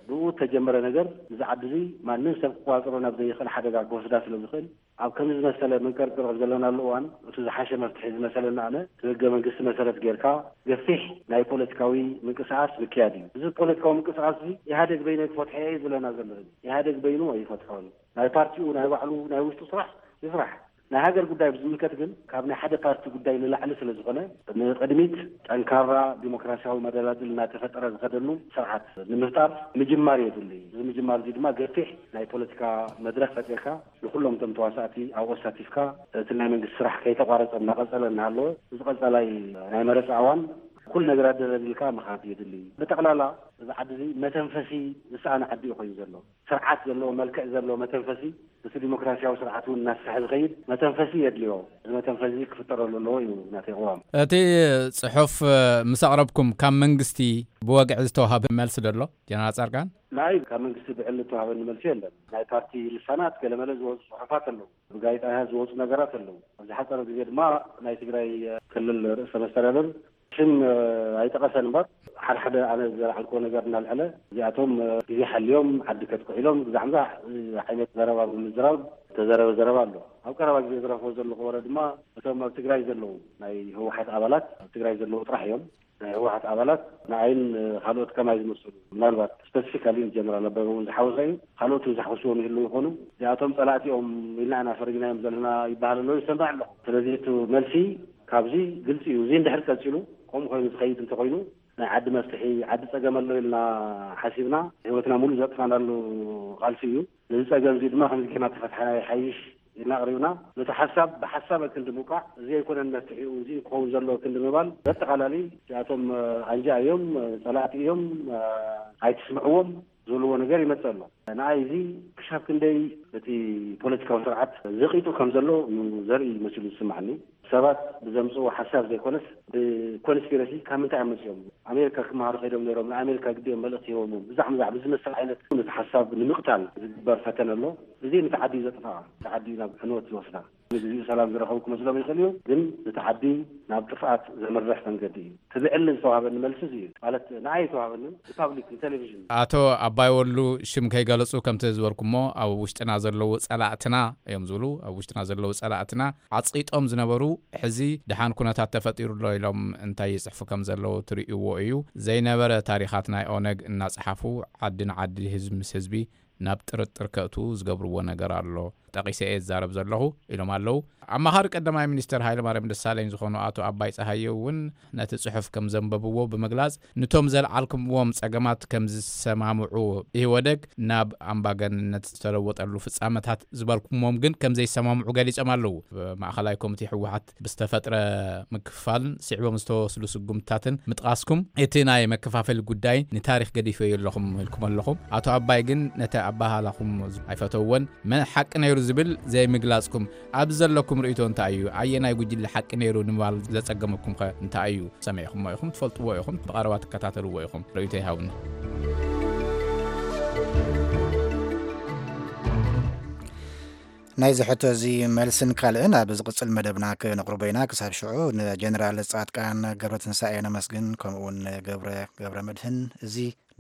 ብኡ ተጀመረ ነገር እዚ ዓዲ እዚ ማንም ሰብ ክቋፅሮ ናብ ዘይኽእል ሓደጋ ክወስዳ ስለ ዝኽእል፣ ኣብ ከምዚ ዝመሰለ መንቀርቅር ዘለናሉ እዋን እቲ ዝሓሸ መፍትሒ ዝመሰለና ኣነ እቲ ህገ መንግስቲ መሰረት ጌርካ ገፊሕ ናይ ፖለቲካዊ ምንቅስቃስ ምክያድ እዩ። እዚ ፖለቲካዊ ምንቅስቃስ እዚ ኢህኣደግ በይነይ ክፈትሖ እየ ዝብለና ዘሎ። ኢህኣደግ በይኑ ኣይፈትሖን። ናይ ፓርቲኡ ናይ ባዕሉ ናይ ውሽጡ ስራሕ ይስራሕ። ናይ ሃገር ጉዳይ ብዝምልከት ግን ካብ ናይ ሓደ ፓርቲ ጉዳይ ንላዕሊ ስለ ዝኾነ፣ ንቕድሚት ጠንካራ ዲሞክራሲያዊ መደላድል እናተፈጠረ ዝኸደሉ ስርዓት ንምፍጣር ምጅማር የድሊ። እዚ ምጅማር እዚ ድማ ገፊሕ ናይ ፖለቲካ መድረክ ፈጢርካ ንኩሎም እቶም ተዋሳእቲ ኣብኡ ኣሳቲፍካ እቲ ናይ መንግስቲ ስራሕ ከይተቋረፀ እናቐፀለ እናሃለወ፣ እዚ ቀፃላይ ናይ መረፃ እዋን ኩሉ ነገር ኣደላዲልካ ምኻድ የድሊ። ብጠቕላላ እዚ ዓዲ እዚ መተንፈሲ ዝሰኣነ ዓዲ እዩ ኮይኑ ዘሎ። ስርዓት ዘለዎ፣ መልክዕ ዘለዎ መተንፈሲ፣ እቲ ዲሞክራሲያዊ ስርዓት እውን እናስፍሐ ዝኸይድ መተንፈሲ የድልዮ። እዚ መተንፈሲ ክፍጠረሉ ኣለዎ እዩ ናተይ ቅዋም። እቲ ጽሑፍ ምስ ኣቕረብኩም ካብ መንግስቲ ብወግዒ ዝተዋሃበ መልሲ ዶ ኣሎ? ጀነራል ጻድቃን? ናይ ካብ መንግስቲ ብዕሊ ዝተዋሃበኒ መልሲ የለን። ናይ ፓርቲ ልሳናት ገለመለ ዝወፁ ጽሑፋት ኣለዉ። ብጋዜጣ ዝወፁ ነገራት ኣለዉ። ኣብዚ ሓፀረ ግዜ ድማ ናይ ትግራይ ክልል ርእሰ መስተዳደር ሽም ኣይጠቐሰን እምበር፣ ሓደ ሓደ ኣነ ዘልዓልክዎ ነገር እናልዐለ፣ እዚኣቶም ግዜ ሓልዮም ዓዲ ከጥቅዑ ኢሎም፣ ግዛዕ ምዛዕ ዓይነት ዘረባ ብምዝራብ ዝተዘረበ ዘረባ ኣሎ። ኣብ ቀረባ ግዜ ዝረኽቦ ዘለኹ ወረ ድማ፣ እቶም ኣብ ትግራይ ዘለዉ ናይ ህወሓት ኣባላት፣ ኣብ ትግራይ ዘለዉ ጥራሕ እዮም። ናይ ህወሓት ኣባላት ንኣይን ካልኦት ከማይ ዝመስሉ፣ ምናልባት ስፐሲፊካሊ ጀነራል ኣበበ እውን ዝሓወሰ እዩ። ካልኦት እውን ዝሓወስዎም ይህልዉ ይኾኑ። እዚኣቶም ጸላእቲ እዮም ኢልና ኢና ፈሪጅናዮም ዘለና ይበሃል ኣሎ፣ ይሰማዕ ኣለኹ። ስለዚ እቲ መልሲ ካብዚ ግልጺ እዩ። እዚ እንድሕር ቀጺሉ፣ ከምኡ ኮይኑ ዝኸይድ እንተኾይኑ፣ ናይ ዓዲ መፍትሒ፣ ዓዲ ጸገም ኣሎ ኢልና ሓሲብና፣ ህይወትና ሙሉ ዘጥፋናሉ ቃልሲ እዩ። ነዚ ጸገም እዚ ድማ ከምዚ ጌርና ተፈትሓና ይሓይሽ ኢልና ኣቕሪብና፣ ነቲ ሓሳብ ብሓሳብ ክንዲ ምውቃዕ፣ እዚ ኣይኮነን መፍትሒኡ፣ እዚ ክኸውን ዘለዎ ክንዲ ምባል፣ በጠቓላሊ እዚኣቶም ኣንጃ እዮም፣ ጸላእቲ እዮም፣ ኣይትስምዕዎም፣ ዝብልዎ ነገር ይመጽእ ኣሎ። ንኣይ እዚ ክሻብ ክንደይ እቲ ፖለቲካዊ ስርዓት ዘቒጡ ከም ዘሎ እዩ ዘርኢ መሲሉ ዝስምዓኒ። ሰባት ብዘምጽእዎ ሓሳብ ዘይኮነስ ብኮንስፒረሲ ካብ ምንታይ እዮም መጺኦም? ኣሜሪካ ክመሃሩ ከይዶም ነይሮም፣ ንኣሜሪካ ግዲኦም መልእኽቲ ሂቦም እዮም። ብዛዕ ምዛዕ ብዝመስል ዓይነት ነቲ ሓሳብ ንምቕታል ዝግበር ፈተነ ኣሎ። እዚ ነቲ ዓዲ እዩ ዘጥፍኣ፣ ነቲ ዓዲ እዩ ናብ ዕንወት ዝወስዳ። ንግዚኡ ሰላም ዝረኸቡ ክመስሎም ይኽእል እዩ፣ ግን ነቲ ዓዲ ናብ ጥፍኣት ዘምርሕ መንገዲ እዩ። እቲ ብዕሊ ዝተዋሃበኒ መልሲ እዚ እዩ። ማለት ንኣይ ዝተዋሃበኒ ብፓብሊክ ንቴሌቪዥን። ኣቶ ኣባይ ወሉ ሽም ከይገለጹ ከምቲ ዝበልኩሞ ኣብ ውሽጥና ዘለዉ ጸላእትና እዮም ዝብሉ። ኣብ ውሽጥና ዘለዉ ጸላእትና ዓጽቂጦም ዝነበሩ ሕዚ ደሓን ኩነታት ተፈጢሩ ኣሎ ኢሎም እንታይ ይጽሕፉ ከም ዘለዉ ትርእይዎ እዩ። ዘይነበረ ታሪኻት ናይ ኦነግ እናጸሓፉ ዓዲ ንዓዲ ህዝቢ ምስ ህዝቢ ናብ ጥርጥር ከእቱ ዝገብርዎ ነገር ኣሎ። ጠቒሰ እየ ዝዛረብ ዘለኹ ኢሎም ኣለዉ። ኣማኻሪ ቀዳማይ ሚኒስተር ሃይለማርያም ደሳለኝ ዝኾኑ ኣቶ ኣባይ ጸሃየ እውን ነቲ ጽሑፍ ከም ዘንበብዎ ብምግላጽ፣ ንቶም ዘልዓልኩምዎም ጸገማት ከም ዝሰማምዑ፣ ኢህወደግ ናብ ኣምባገንነት ዝተለወጠሉ ፍጻመታት ዝበልኩሞም ግን ከም ዘይሰማምዑ ገሊጾም ኣለዉ። ማእኸላይ ኮሚቴ ህወሓት ብዝተፈጥረ ምክፍፋልን ስዒቦም ዝተወስዱ ስጉምትታትን ምጥቓስኩም፣ እቲ ናይ መከፋፈሊ ጉዳይ ንታሪኽ ገዲፈዮ ኣለኹም ኢልኩም ኣለኹም። ኣቶ ኣባይ ግን ነቲ ኣበሃህላኹም ኣይፈተውዎን። መን ሓቂ ነይሩ ዝብል ዘይምግላጽኩም፣ ኣብዚ ዘለኩም ርእይቶ እንታይ እዩ? ኣየናይ ጉጅለ ሓቂ ነይሩ ንምባል ዘጸገመኩም ኸ እንታይ እዩ? ሰሚዕኩሞ ኢኹም፣ ትፈልጥዎ ኢኹም፣ ብቐረባ ትከታተልዎ ኢኹም። ርእይቶ ይሃብኒ። ናይዚ ሕቶ እዚ መልስን ካልእን ኣብ ዝቕጽል መደብና ክነቕርቦ ኢና። ክሳብ ሽዑ ንጀነራል ጻድቃን ገብረትንሳኤ ነመስግን፣ ከምኡ እውን ንገብረ ገብረ መድህን። እዚ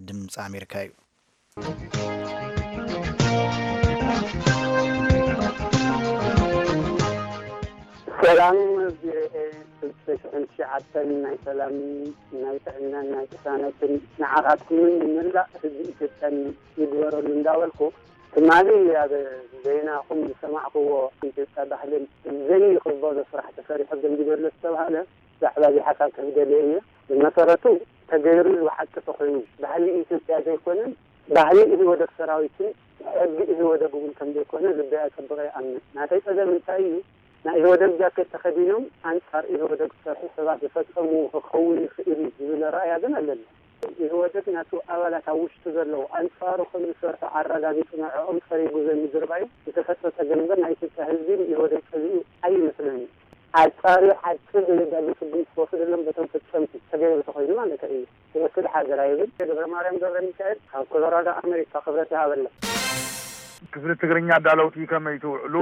ድምፂ ኣሜሪካ እዩ። ሰላም ቪኦኤ፣ ክልተ ሽሕን ትሽዓተን ናይ ሰላምን ናይ ጥዕናን ናይ ቅሳነትን ንዓኻትኩምን ንመላእ ህዝቢ ኢትዮጵያን ይግበረሉ እንዳበልኩ፣ ትማሊ ኣብ ዜናኹም ዝሰማዕክዎ ኢትዮጵያ ባህልን ዘይክበሎ ስራሕ ተሰሪሑ ገንዲበሎ ዝተባህለ ዛዕባ እዚ ሓሳብ ክህብ ደልየ እየ። ብመሰረቱ ተገይሩ ኢሉ ሓቂ ተኾይኑ ባህሊ ኢትዮጵያ ዘይኮነን ባህሊ ኢህወደግ ሰራዊትን ሕጊ ኢህወደግ እውን ከም ዘይኮነ ልበይ ኣጸብቐ ይኣምን። ናተይ ጸገም እንታይ እዩ? ናይ ኢህወደግ ጃኬት ተኸዲኖም ኣንጻር ኢህወደግ ዝሰርሑ ሰባት ዝፈጸምዎ ክኸውን ይኽእል እዩ ዝብል ኣረኣእያ ግን ኣለኒ። ኢህወደግ ናቱ ኣባላት ኣብ ውሽጡ ዘለዉ ኣንጻሩ ከም ዝሰርሑ ኣረጋጊጹ ንዕኦም ጸሪጉ ዘምድርባዩ ዝተፈጥረ ጸገም እምበር ናይ ኢትዮጵያ ህዝቢ ንኢህወደግ ጸሊኡ ኣይመስለኒ። ኣጻርዩ ሓቂ ዘየዳሉ ስጉምቲ ክወስደሎም በቶም ፈጸምቲ ተገይሩ ተኾይኑ ማለት እዩ። ክወስድ ሓገር ኣይብል። ገብረ ማርያም ገብረ ሚካኤል ካብ ኮሎራዶ ኣሜሪካ ክብረት ይሃበልና። ክፍሊ ትግርኛ ኣዳለውቲ ከመይ ትውዕሉ?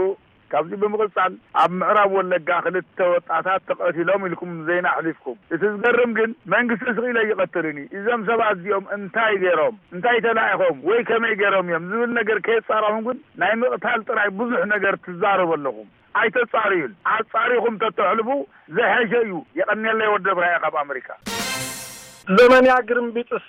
ካብዚ ብምቕጻል ኣብ ምዕራብ ወለጋ ክልተ ወጣታት ተቐቲሎም ኢልኩም ዜና ኣሕሊፍኩም። እቲ ዝገርም ግን መንግስቲ ስቕ ኢለ ኣይቐትልን እዩ። እዞም ሰባት እዚኦም እንታይ ገይሮም፣ እንታይ ተላኢኾም ወይ ከመይ ገይሮም እዮም ዝብል ነገር ከየጻረኹም ግን ናይ ምቕታል ጥራይ ብዙሕ ነገር ትዛረቡ ኣለኹም። ኣይተጻርዩን። ኣጻሪኹም ተተሕልፉ ዝሐሸ እዩ። የቐንየለይ ወዲ ብራየ ካብ ኣመሪካ። ዘመንያ ግርምቢጥስ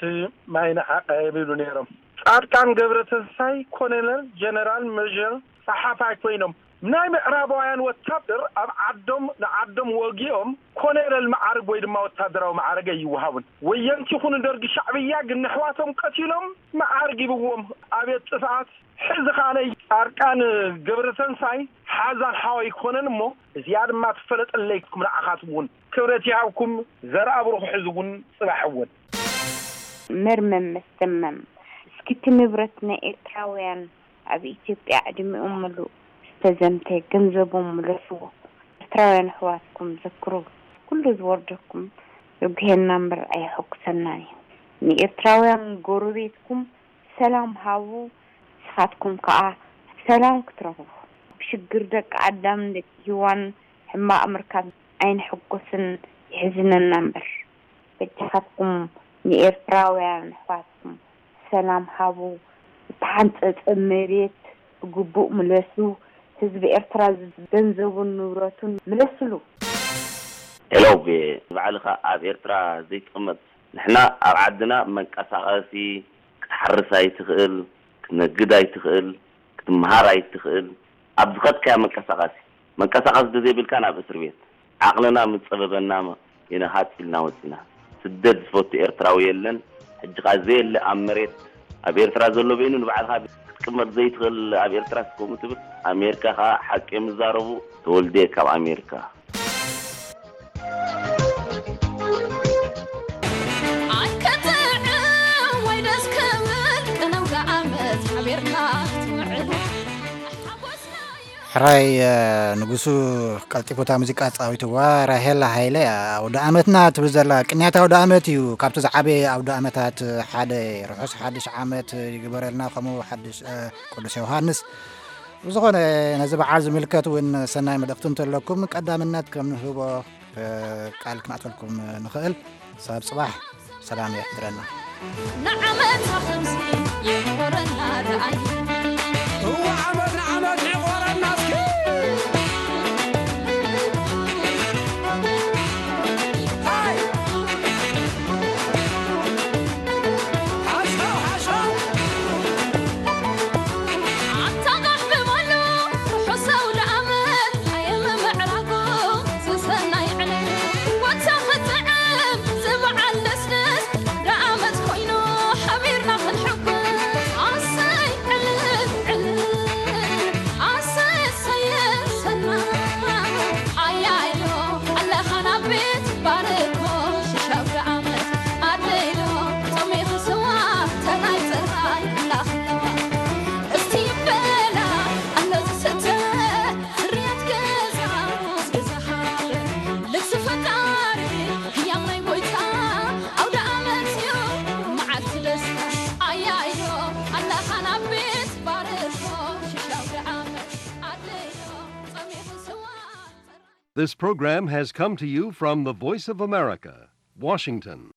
ማይ ንዓቐብ ይብሉ ነይሮም። ጻድቃን ገብረተንሳይ ኮሎኔል ጀነራል መጀር ጸሓፋይ ኮይኖም ናይ ምዕራባውያን ወታደር ኣብ ዓዶም ንዓዶም ወጊኦም ኮሎኔል መዓርግ ወይ ድማ ወታደራዊ መዓርግ ኣይወሃቡን። ወየንቲ ይኹኑ ደርጊ ሻዕብያ ግን ነሕዋቶም ቀቲሎም መዓርግ ሂብዎም። ኣቤት ጥፍኣት! ሕዚ ኸኣ ናይ ጻድቃን ገብረተንሳይ ሓዛን ሓወይ ክኾነን እሞ እዚኣ ድማ ትፈለጠለይ ንዓኻትም እውን ክብረት ይሃብኩም ዘርኣ ብሩኽ ሕዚ እውን ጽባሕ እውን። መርመም መስተምመም እስኪ እቲ ንብረት ናይ ኤርትራውያን ኣብ ኢትዮጵያ ዕድሚኦም ምሉእ ዝተዘምተ ገንዘቦም ምለስዎ። ኤርትራውያን ኣሕዋትኩም ዘክሩ። ኩሉ ዝወርደኩም የጉህየና እምበር ኣየሐጉሰናን እዩ። ንኤርትራውያን ጎረቤትኩም ሰላም ሃቡ ንስኻትኩም ከኣ ሰላም ክትረኽቡ። ብሽግር ደቂ ኣዳምን ደቂ ሂዋን ሕማቕ ምርካብ ኣይንሕጎስን የሕዝነና እምበር። በጃኻትኩም ንኤርትራውያን ኣሕዋትኩም ሰላም ሃቡ፣ ዝተሓንጸጸ መሬት ብግቡእ ምለሱ፣ ህዝቢ ኤርትራ ገንዘቡን ንብረቱን ምለስሉ። ሄሎ ቪኦኤ፣ ንባዕልኻ ኣብ ኤርትራ ዘይትቕመጥ ንሕና ኣብ ዓድና መንቀሳቐሲ ክትሓርስ ኣይትኽእል፣ ክትነግድ ኣይትኽእል፣ ክትምሃር ኣይትኽእል፣ ኣብ ዝኸድካዮ መንቀሳቐሲ መንቀሳቐሲ ተዘይብልካ ናብ እስር ቤት። ዓቕልና ምስ ጸበበና ኢና ሃጽ ኢልና ወጺና። ስደት ዝፈቱ ኤርትራዊ የለን። ሕጂ ኸኣ ዘየለ ኣብ መሬት ኣብ ኤርትራ ዘሎ በይኑ ንባዕልኻ ክትቅመጥ ዘይትኽእል ኣብ ኤርትራ እስከ ከምኡ ትብል። ኣሜሪካ ኸኣ ሓቂ እዮም ዝዛረቡ። ተወልደ ካብ ኣሜሪካ። ኣይከጥዕም ወይ ደስ ክብል ቅነው ዓመት ሓቢርካ ክትውዕል ሓጎስና እዩ። ሕራይ ንጉሱ ቀልጢፉ እታ ሙዚቃ ኣጻዊትዋ። ራሄል ሃይለ ኣውደ ኣመትና ትብል ዘላ ቅንያት ኣውደ ኣመት እዩ። ካብቲ ዝዓበየ ኣውደ ኣመታት ሓደ ርሑስ ሓድሽ ዓመት ይግበረልና። ከምኡ ሓድሽ ቅዱስ ዮሃንስ ብዝኾነ ነዚ በዓል ዝምልከት እውን ሰናይ መልእኽቲ እንተለኩም ቀዳምነት ከም ንህቦ ቃል ክነእተልኩም ንኽእል። ሳብ ጽባሕ ሰላም የሕድረና። ንዓመታ ከምዚ ይሕቦረና ደኣይ እዋ ዓመት ንዓመት ይቆረና እስኪ ሃይ ሓሳው ሓሳው This program has come to you from the Voice of America, Washington.